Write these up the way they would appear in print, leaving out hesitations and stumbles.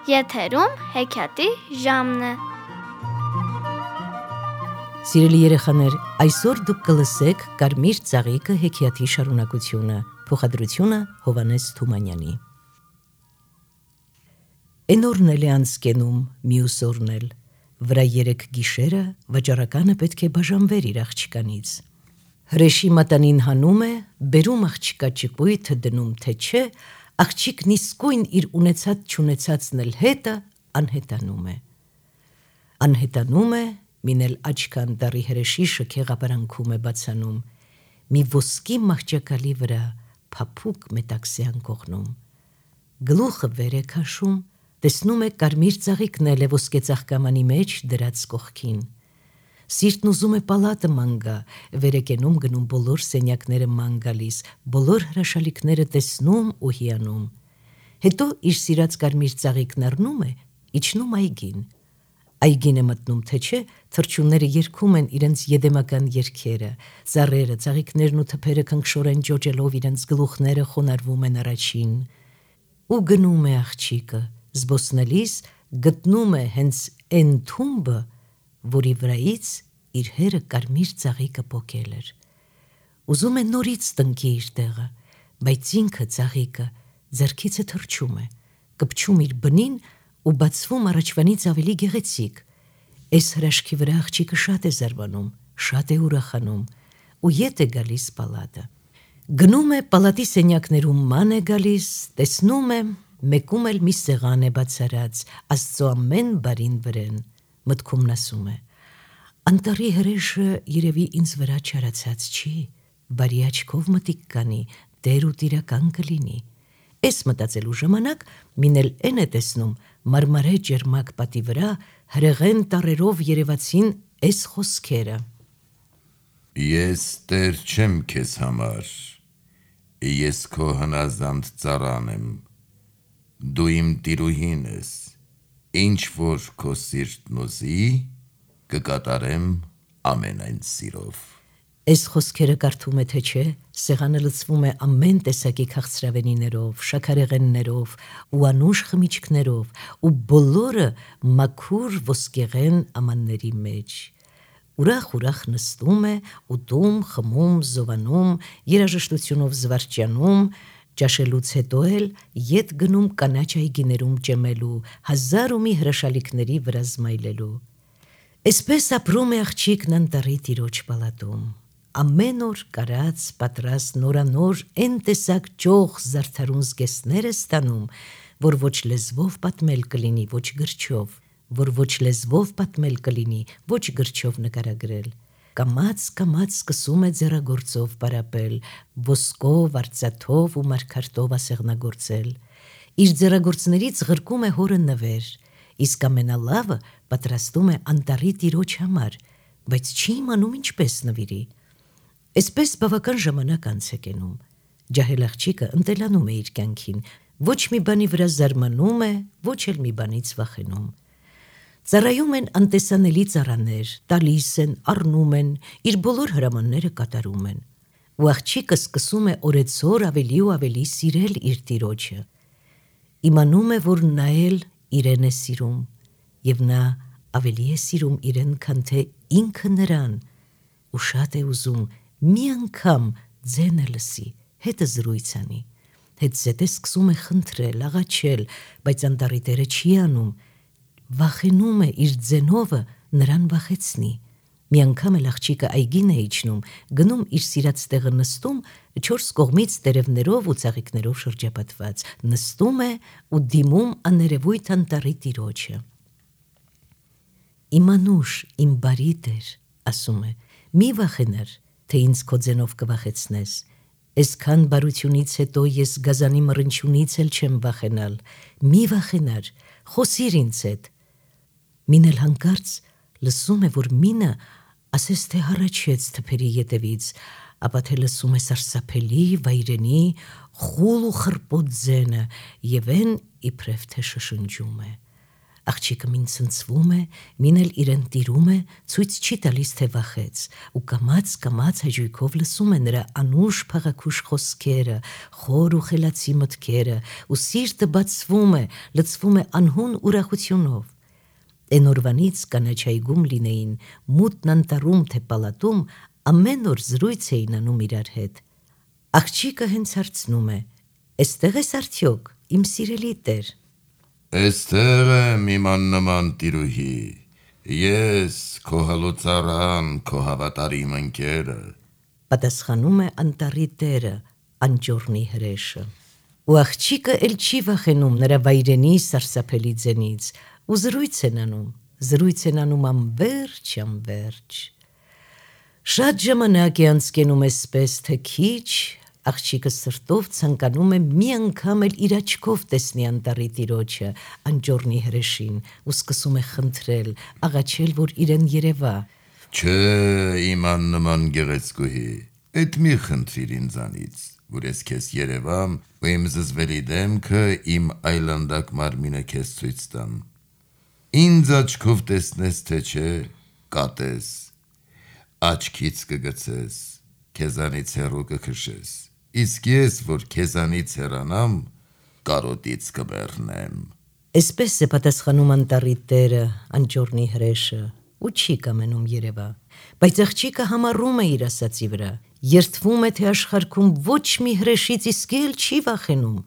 Եթերում հեքիաթի ժամն է։ Սիրելի երեխաներ, այսօր դուք կլսեք Կարմիր ծաղիկը հեքիաթի շարունակությունը, փոխադրությունը Հովհաննես Թումանյանի։ Էն օրն էլ է անցկենում, մյուս օրն էլ, վրա 3 գիշերը վաճառականը պետք է բաժանվեր իր աղջկանից։ Հրեշի մատանին հանում է, բերում աղջկա ճկույթը դնում թե չէ, աղջիկն իսկույն իր ունեցած չունեցածն էլ հետը անհետանում է։ Անհետանում է, մին էլ աչքան դառի հրեշի շքեղապարանքում է բացանում, մի ոսկի մահճակալի վրա փափուկ մետաքսյան կողնում։ Գլուխը վեր է քաշում, տեսնում է կարմիր ծաղիկն էլ է ոսկե ծաղկամանի մեջ դրած կողքին։ Սիրտն ուզում է պալատը ման գա, վեր է կենում գնում բոլոր սենյակները ման գալիս, բոլոր հրաշալիքները տեսնում ու հիանում։ Հետո իր սիրած կարմիր ծաղիկն առնում է, իջնում այգին։ Այգին է մտնում թե չէ, թռչունները երգում են իրենց եդեմական երգերը, ծառերը, ծաղիկներն ու թփերը քնքշորեն ջոջելով իրենց գլուխները խոնարհվում են առաջին։ Ու գնում է աղջիկը, զբոսնելիս գտնում է հենց էն թումբը, որի վրայից իր հերը կարմիր ծաղիկը պոկել էր։ Ուզում է նորից տնկի իր տեղը, բայց ինքը ծաղիկը ձեռքից է թռչում է, կպչում իր բնին ու բացվում առաջվանից ավելի գեղեցիկ։ Այս հրաշքի վրա աղջիկը շատ է զարմանում, շատ է ուրախանում ու ետ է գալիս պալատը։ Գնում է պալատի սենյակներում ման է գալիս, տեսնում է, մեկում էլ մի սեղան է բացարած, Աստծո ամեն բարին վրեն, մտքումն ասում է. անտառի հրեշը երևի ինձ վրա չարացած չի, բարի աչքով մտիկ կանի, դեր ու տիրական կլինի։ Էս մտածելու ժամանակ մին էլ էն է տեսնում, մարմարե ջերմակ պատի վրա հրեղեն տառերով երևացին էս խոսքերը. Ես Տեր չեմ քեզ համար, ես քո հնազանդ ծառան եմ, դու իմ տիրուհին ես, ինչ որ քո սիրտն ուզի, կկատարեմ ամենայն սիրով։ Այս խոսքերը կարդում է թե չէ, սեղանը լցվում է ամեն տեսակի քաղցրավենիներով, շաքարեղեններով ու անուշ խմիչքներով ու բոլորը մաքուր ոսկեղեն ամանների մեջ։ Ուրախ նստում է, ուտում, խմում, զովանում, երաժշտությունով զվարճանում, ճաշելուց հետո էլ ետ գնում կանաչ այգիներում ճեմելու, հազար ու մի հրաշալիքների վրա զմայլելու։ Այսպես ապրում է աղջիկն անտառի տիրոջ պալատում։ Ամեն օր կարած, պատրաստ նորանոր էն տեսակ ճոխ զարդարուն զգեստներ է ստանում, որ ոչ լեզվով պատմել կլինի, ոչ գրչով, որ ոչ լեզվով պատմել կլինի, ոչ գրչով նկարագրել։ Կամաց սկսում է ձեռագործով պարապել, ոսկով, արծաթով ու մարգարտով ասեղնագործել։ Իր ձեռագործներից ղրկում է հորը նվեր, իսկ ամենալավը պատրաստում է անտառի տիրոջ համար, բայց չի իմանում ինչպես նվիրի։ Այսպես բավական ժամանակ անց է կենում։ Ջահել աղջիկը ընտելանում է իր կյանքին, ոչ մի բանի վրա զարմանում է, ոչ էլ մի բանից վախենում։ Ծառայում են անտեսանելի ծառաներ, տալիս են, առնում են, իր բոլոր հրամանները կատարում են։ Ու աղջիկը սկսում է օրեցօր ավելի ու ավելի սիրել իր տիրոջը։ Իմանում է, որ նա էլ իրեն է սիրում, և նա ավելի է սիրում իրեն, քան թե ինքը նրան, ու շատ է ուզում մի անգամ ձենը լսի, հետը զրույց անի։ Հետզհետե սկսում է խնդրել, աղաչել, բայց անտառի տերը չի անում, վախենում է իր ձենովը նրան վախեցնի։ Մի անգամ էլ աղջիկը այգին է իջնում, գնում իր սիրած տեղը նստում, 4 կողմից տերևներով ու ծաղիկներով շրջապատված, նստում է ու դիմում աներևույթ անտառի տիրոջը։ Իմ անուշ, իմ բարի Տեր, ասում է, մի վախենար, թե ինձ քո ձենով կվախեցնես։ Այսքան բարությունից հետո ես գազանի մռնչյունից էլ չեմ վախենալ, մի վախենար, խոսիր ինձ հետ։ Մին էլ հանկարծ լսում է, որ մինը ասես թե հառաչեց թփերի ետևից, ապա թե լսում է սարսափելի, վայրենի, խուլ ու խռպոտ ձենը, և էն իբրև թե շշնջում է. Աղջիկը մին ցնցվում է, մին էլ իրեն տիրում է, ցույց չի տալիս թե վախեց, ու կամաց հաճույքով լսում է նրա անուշ փաղաքուշ խոսքերը, խոր ու խելացի մտքերը, ու սիրտը բացվում է, լցվում է անհուն ուրախությունով։ Էն օրվանից կանաչայգում լինեին, մութն անտառում թե պալատում, ամեն օր զրույց էին անում իրար հետ։ Աղջիկը հենց հարցնում է. «Էստեղ ես արդյոք, իմ սիրելի տեր»։ Էստեղ եմ իմ աննման տիրուհի, ես քո հալոցարան, քո հավատարիմ ընկերը, պատասխանում է անտառի տերը, անճոռնի հրեշը։ Ու աղջիկը էլ չի վախենում նրա վայրենի սարսափելի ձենից, ու զրույց են անում անվերջ։ Շատ ժամանակ է անցկենում էսպես, թե քիչ, աղջիկը սրտով ցանկանում է մի անգամ էլ իր աչքով տեսնի անտառի տիրոջը, անճոռնի հրեշին, ու սկսում է խնդրել, աղաչել, որ իրեն երևա։ Չէ, իմ աննման գեղեցկուհի, էդ մի խնդրիր ինձանից, որ ես քեզ երևամ, ու իմ զզվելի դեմքը, իմ այլանդակ մարմինը քեզ ցույց տամ։ Ինձ աչքով տեսնես թե չէ, կատես, աչքից կգցես, քեզանից հեռու կքշես, իսկ ես, որ քեզանից հեռանամ, կարոտից կմեռնեմ։ Էսպես է պատասխանում անտառի տերը, անճոռնի հրեշը, ու չի կամենում երևա, բայց աղջիկը համառում է իր ասածի վրա, երդվում է, թե աշխարհքում ոչ մի հրեշից իսկ էլ չի վախենում,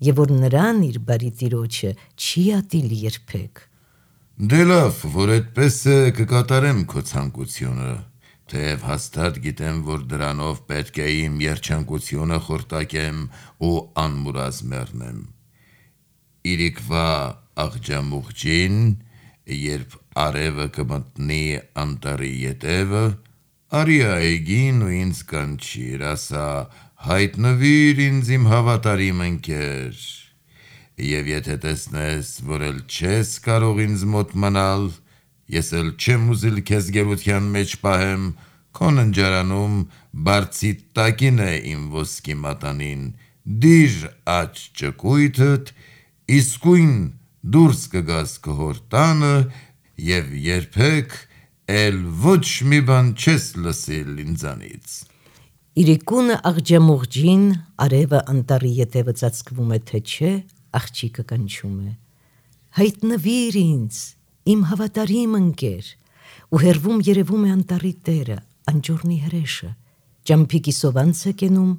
եւ որ նրան իր բարի տիրոջը չի ատիլ երբեք։ Դե լավ, որ այդպես է, կկատարեմ քո ցանկությունը, թեև հաստատ գիտեմ, որ դրանով պետք է իմ երջանկությունը խորտակեմ ու անմուրազ մեռնեմ։ Իրիկվա աղջամուղջին, երբ արևը կմտնի անտառի ետևը, արի այգին ու ինձ կանչիր, ասա, հայտնվիր ինձ իմ հավատարիմ ընկեր, եւ եթե տեսնես, որ էլ չես կարող ինձ մոտ մնալ, ես էլ չեմ ուզիլ քեզ գերության մեջ պահեմ, քո ննջարանում բարձի տակին է իմ ոսկի մատանին, դիր աջ ճկույթդ, իսկույն դուրս կգաս քո հոր տանը եւ երբեք էլ ոչ մի բան չես լսիլ ինձանից։ Իրիկունը աղջամուղջին, արևը անտառի ետևը ծածկվում է թե չէ, աղջիկը կանչում է. հայտնվիր ինձ, իմ հավատարիմ ընկեր, ու հեռվում երևում է անտառի տերը, անճոռնի հրեշը, ճամփի սովանց է կենում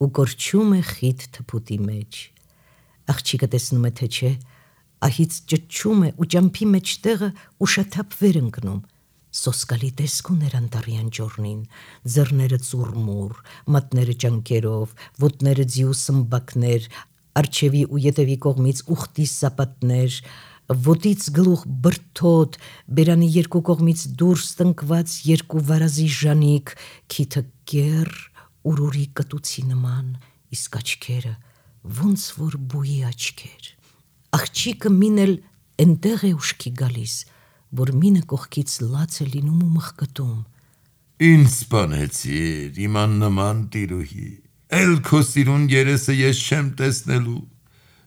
ու կորչում է խիտ թփուտի մեջ։ Աղջիկը տեսնում է թե չէ, ահից ճչում է ու ճամփի մեջտեղը ուշաթափ վեր ընկնում։ Սոսկալի տեսք ուներ անտառի անճոռնին, ձեռները ծուռմուռ, մատները ճանկերով, ոտները ձիու սմբակներ, արջևի ու ետևի կողմից ուխտի սապատներ, ոտից գլուխ բրդոտ, բերանի երկու կողմից դուրս տնկված երկու վարազի ժանիք, քիթը կեռ, ուրուրի կտուցի նման, իսկ աչքերը ոնց որ բույի աչքեր։ Աղջիկը մին էլ էնտեղ է ուշքի գալիս, որ մինը կողքից լաց է լինում ու մխկտում։ Ինձ սպանեցիր, իմ աննման տիրուհի, էլ քո սիրուն երեսը ես չեմ տեսնելու,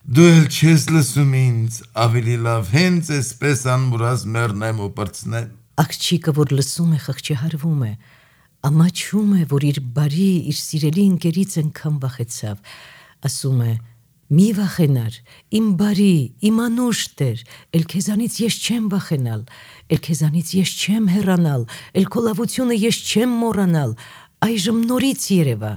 դու էլ չես լսում ինձ, ավելի լավ հենց էսպես անմուրազ մեռնեմ ու պրծնեմ։ Աղջիկը, որ լսում է, խղճահարվում է, ամաչում է, որ իր բարի, իր սիրելի ընկերից այնքան վախեցավ, ասում է. մի վախենար, իմ բարի, իմ անուշ տեր, էլ քեզանից ես չեմ վախենալ, էլ քեզանից ես չեմ հեռանալ, էլ քո լավությունը ես չեմ մոռանալ, այժմ նորից երևա։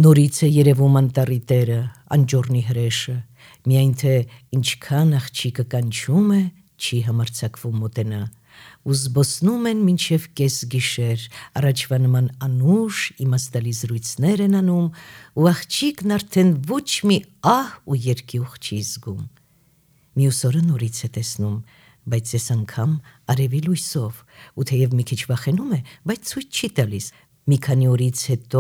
Նորից է երևում անտառի տերը, անճոռնի հրեշը, միայն թե ինչքան աղջիկը կանչում է, չի համարձակվում մոտենա, ու զբոսնում են մինչև կես գիշեր, առաջվա նման անուշ իմաստալի զրույցներ են անում, ու աղջիկն արդեն ոչ մի ահ ու երկյուղ չի զգում։ Մյուս օրը նորից է տեսնում, բայց այս անգամ արևի լույսով, ու թեև մի քիչ վախենում է, բայց ցույց չի տալիս։ Մի քանի օրից հետո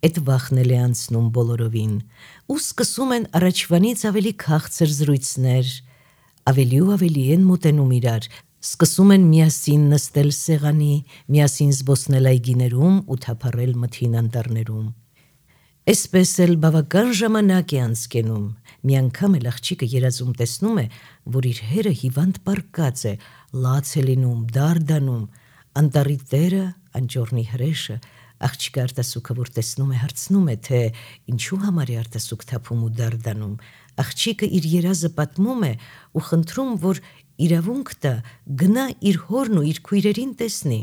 այդ վախն էլ է անցնում բոլորովին, ու սկսում են առաջվանից ավելի քաղցր զրույցներ, ավելի ու ավելի են մոտենում իրար, սկսում են միասին նստել սեղանի, միասին զբոսնել այգիներում ու թափառել մթին անտառներում։ Այսպես էլ բավական ժամանակ է անցկենում, մի անգամ էլ աղջիկը երազում տեսնում է, որ իր հերը հիվանդ պառկած է, լաց է լինում, դարդանում, անտառի տերը, անճոռնի հրեշը, աղջիկը արտասուքը որ տեսնում է, հարցնում է, թե ինչու համար է արտասուք թափում ու դարդանում, աղջիկը իր երազը պատմում է ու խնդրում, որ իրավունք տա, գնա իր հորն ու իր քույրերին տեսնի։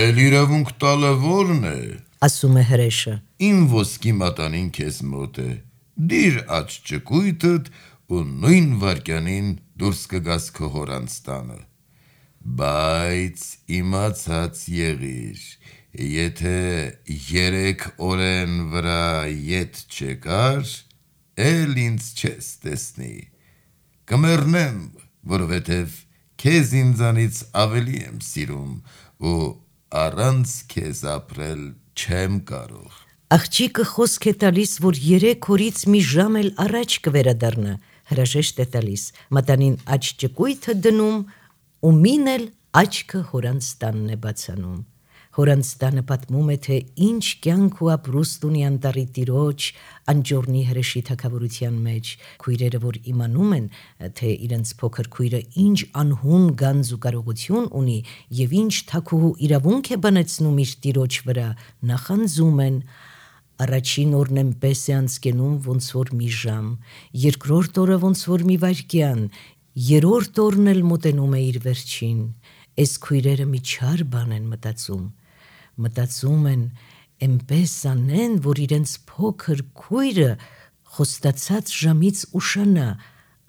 Էլ իրավունք տալը որն է, ասում է հրեշը։ Իմ ոսկի մատանին քեզ մոտ է, դիր աջ ճկույթդ ու նույն վարկյանին դուրս կգաս քո հորանց տանը, բայց իմացած եղիր, եթե 3 օրեն վրա ետ չեկար, էլ ինձ չես տեսնի, կմեռնեմ, որովհետև քեզ ինձանից ավելի եմ սիրում ու առանց քեզ ապրել չեմ կարող։ Աղջիկը խոսք է տալիս, որ 3 օրից մի ժամ էլ առաջ կվերադառնա, հրաժեշտ է տալիս, մատանին աջ ճկույթը դնում ու մին էլ աչքը հորանց տանն է բացանում։ Հորանց տանը պատմում է, թե ինչ կյանք ու ապրուստ ունի անտառի տիրոջ, անճոռնի հրեշի թագավորության մեջ, քույրերը որ իմանում են, թե իրենց փոքր քույրը ինչ անհուն գանձ ու կարողություն ունի եւ ինչ թագուհու իրավունք է բանեցնում իր տիրոջ վրա, նախանձում են։ Առաջին օրն էնպես է անցկենում ոնց որ մի ժամ, երկրորդ օրը ոնց որ մի վայրկյան, երրորդ օրն էլ մոտենում է իր վերջին։ Այս քույրերը մի չար բան են մտածում են էնպես անեն, որ իրենց փոքր քույրը խոստացած ժամից ուշանա,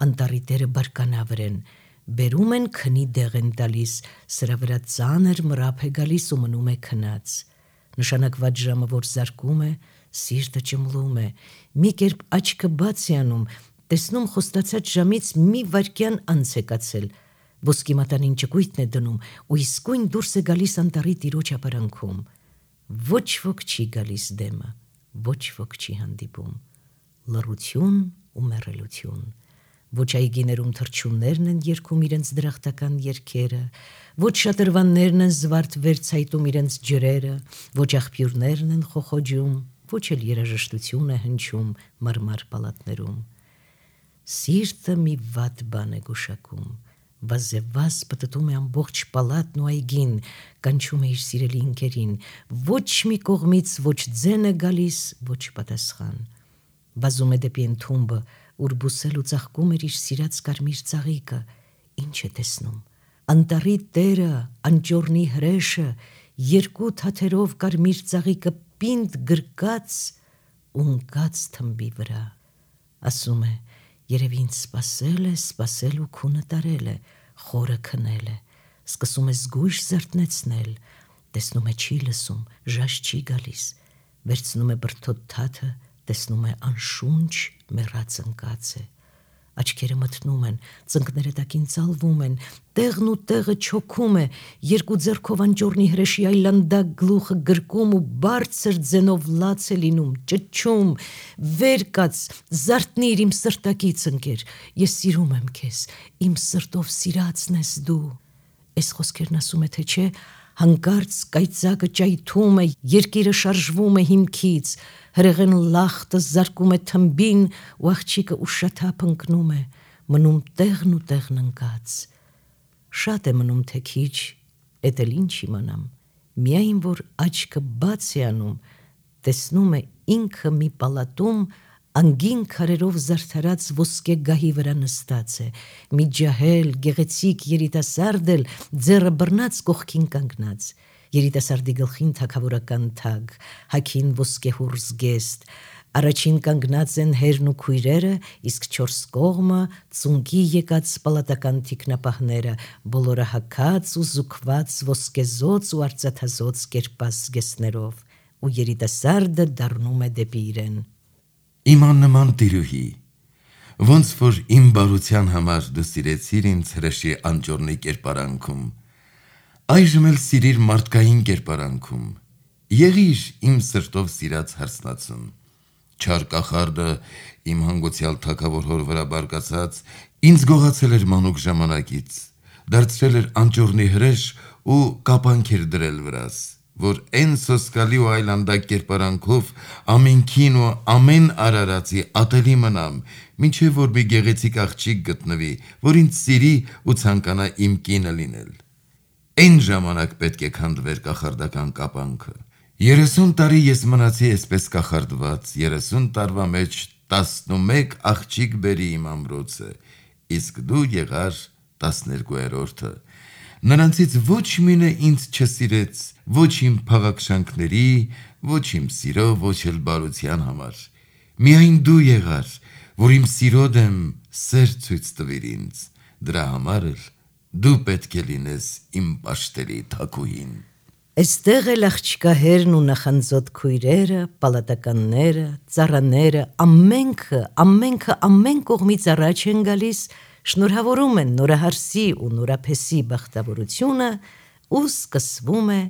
անտառի տերը բարկանա վրեն, բերում են քնի դեղ են տալիս, սրա վրա ծանր մրափ է գալիս ու մնում է քնած։ Նշանակված ժամը որ զարկում է, սիրտը ճմլում է, մի կերպ աչքը բաց է անում, տեսնում խոստացած ժամից մի վայրկյան անց է կացել, ոսկի մատանին ճկույթն է դնում ու իսկույն դուրս է գալիս անտառի տիրոջ ապարանքում։ Ոչ ոք չի գալիս դեմը, ոչ ոք չի հանդիպում, լռություն ու մեռելություն։ Ոչ այգիներում թռչուններն են երգում իրենց դրախտական երգերը, ոչ շատրվաններն են զվարթ վերցայտում իրենց ջրերը, ոչ աղբյուրներն են խոխոջում, ոչ էլ երաժշտություն է հնչում մարմար պալատներում։ Սիրտը մի վատ բան է գուշակում, վազևազ պտտում է ամբողջ պալատն ու այգին, կանչում է իր սիրելի ընկերին, ոչ մի կողմից ոչ ձեն է գալիս, ոչ պատասխան։ Վազում է դեպի ընդունբը, ուր բուսել ու ծաղկում էր իր սիրած կարմիր ծաղիկը, ինչ է տեսնում։ Անտառի տերը, անճոռնի հրեշը, 2 թաթերով կարմիր ծաղիկը պինդ գրկած ու ընկած թմբի վրա։ Ասում է, երևի ինձ սպասել ու քունը տարել է, խորը քնել է, սկսում է զգույշ զարթնեցնել, տեսնում է չի լսում, ժաշ չի գալիս, վերցնում է բրդոտ թաթը, տեսնում է անշունչ մեռած ընկած է, աչքերը մթնում են, ծնկները տակին ծալվում են, տեղն ու տեղը չոքում է, 2 ձեռքով անճոռնի հրեշի այլանդակ գլուխը գրկում ու բարձր ձենով լաց է լինում, ճչում, վեր կաց, զարթնիր իմ սրտակից ընկեր, ես սիրում եմ քեզ, իմ սրտով սիրածն ես դու։ Այս խոսքերն ասում է, թե չէ, հանկարծ կայծակը ճայթում է, երկիրը շարժվում է հիմքից, հրեղեն լախտը զարկում է թմբին ու աղջիկը ուշաթափ ընկնում է, մնում տեղն ու տեղն ընկած։ Շատ է մնում թե քիչ, էդ էլ ինչ իմանամ, միայն որ աչքը բաց է անում, տեսնում է ինքը մի պալատում անգին քարերով զարդարած ոսկե գահի վրա նստած է, մի ջահել, գեղեցիկ երիտասարդ էլ ձեռը բռնած կողքին կանգնած, երիտասարդի գլխին թագավորական թագ, հագին ոսկեհուռ զգեստ, առաջին կանգնած են հերն ու քույրերը, իսկ 4 կողմը ծունկի եկած պալատական թիկնապահները, բոլորը հագած ու զուգված ոսկեզոծ ու արծաթազոծ կերպած զգեստներով, ու երիտասարդը դառնում է դեպի իրեն։ Իմ աննման տիրուհի, ոնց որ իմ բարության համար դու սիրեցիր ինձ հրեշի անճոռնի կերպարանքում, այժմ էլ սիրիր մարդկային կերպարանքում, եղիր իմ սրտով սիրած հարսնացուն, չար կախարդը իմ հանգուցյալ թագավոր հոր վրա բարկացած, ինձ գողացել էր մանուկ ժամանակից, դարձրել էր անճոռնի հրեշ ու կապանք էր դրել վրաս, որ այն սոսկալի ու այլանդակ կերպարանքով ամենքին ու ամեն արարածի ատելի մնամ, մինչև որ մի գեղեցիկ աղջիկ գտնվի, որ ինձ սիրի ու ցանկանա իմ կինը լինել։ Այն ժամանակ պետք է քանդվեր կախարդական կապանքը։ 30 տարի ես մնացի այսպես կախարդված, 30 տարվա մեջ 11 աղջիկ բերի իմ ամրոցը, իսկ դու եղար 12-րդը։ Նրանցից ոչ մինը ինձ չսիրեց, ոչ իմ փաղաքշանքների, ոչ իմ սիրո, ոչ էլ բարության համար։ Միայն դու եղար, որ իմ սիրո դեմ սեր ցույց տվիր ինձ, դրա համար էլ դու պետք է լինես իմ պաշտելի թագուհին։ Այստեղ էլ աղջկահերն ու նախանձոտ քույրերը, պալատականները, ծառաները, ամենքը ամեն կողմից առաջ են գալիս, շնորհավորում են նորահարսի ու նորափեսի բախտավորությունը ու սկսվում է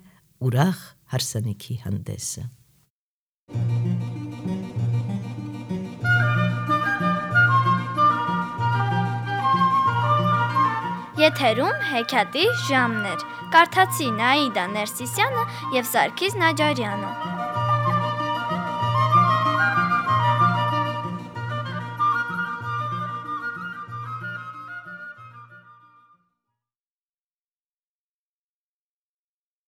ուրախ հարսանիքի հանդեսը։ Եթերում հեքիաթի ժամն էր։ Կարդացի Նաիդա Ներսիսյանը և Սարգիս Նաջարյանը։